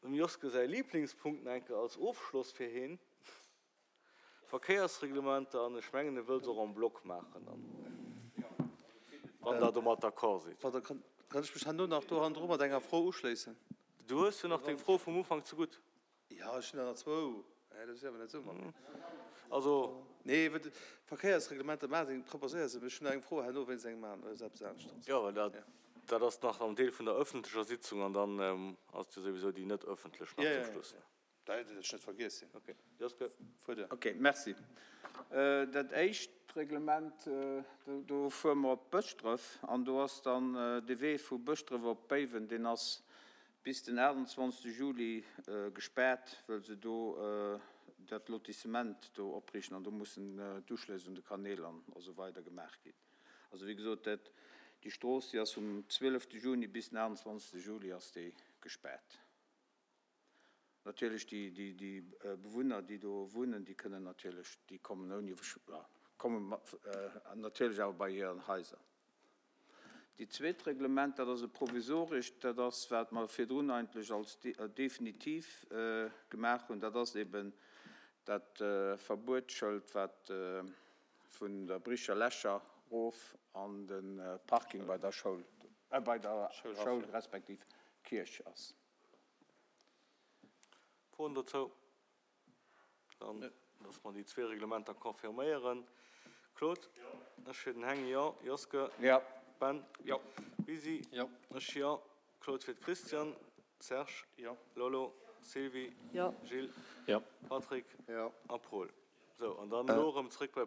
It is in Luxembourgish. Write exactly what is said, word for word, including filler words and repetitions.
Dem Joske säi Lieblingspunkt nach eng Kéier als Ofschloss fir hien. Verkéiersreglementer, an ech mengen, e wëll se och en bloc maachen dann, wann Der domat d'accord sidd. Pardon, kann, kann ech mech herno nach do hannendru mat enger Fro uschléissen? Du hues jo nach deng Fro vum Ufank zegutt. Jo, ech hunn der nach zwou. Hä, dat ass jo awer net esou mat mir. Also. Nee, well d'Verkéiersreglementer maachen, proposéier se, mee ech hunn nach eng Fro herno wéinst engem aneren, eppes aneschters. Jo, well dat, dat ass nach am Deel vun der öffentlecher Sitzung an dann ass et jo souwisou déi net öffentlech nach zum Schluss. Jo, jo, jo. Dat hätt ech net vergiess sinn. Ok, Joske. Fuer duer. Ok, merci. Dat éischt Reglement, do fuere mer op Bëschdref an do ass dann de Wee vu Bëschdref op Béiwen, deen ass bis den aachtundzwanzegste Juli gespaart, wëll se do dat Lotissement do opriichten an do mussen d'Uschlëss un de Kanäl an esou weider gemaach ginn. Also wéi gesot, dat, déi Strooss, déi ass vum zwielefte Juni bis den aachtundzwanzegste Juli ass déi gespaart. Natierlech déi, déi, déi Bewunner, déi do wunnen, déi kënnen natierlech, déi kommen ouni, kommen natierlech awer bei hiren Haiser. Déi zweet Reglement, dat ass e provisorescht, dat ass, wat mer virdrun eigentlech als definitiv gemaach hunn, dat ass eben dat Verbuetsschëld, wat vun der Bricher Lächer erof an de Parking bei der Schoul, bei der Schoul respektiv Kierch ass. Froen dozou? Dann, dass mer déi zwee Reglementer confirméieren. Claude? Ech fir den Heng, jo. Joske? Jo. Ben? Jo. Bisi? Jo. Ech, jo. Claude fir d'Christiane. Serge? Jo. Lolo? Sylvie? Jo. Gilles? Jo. Patrick? Jo. A Paul. Sou, an dann elo erëm zrëck bei.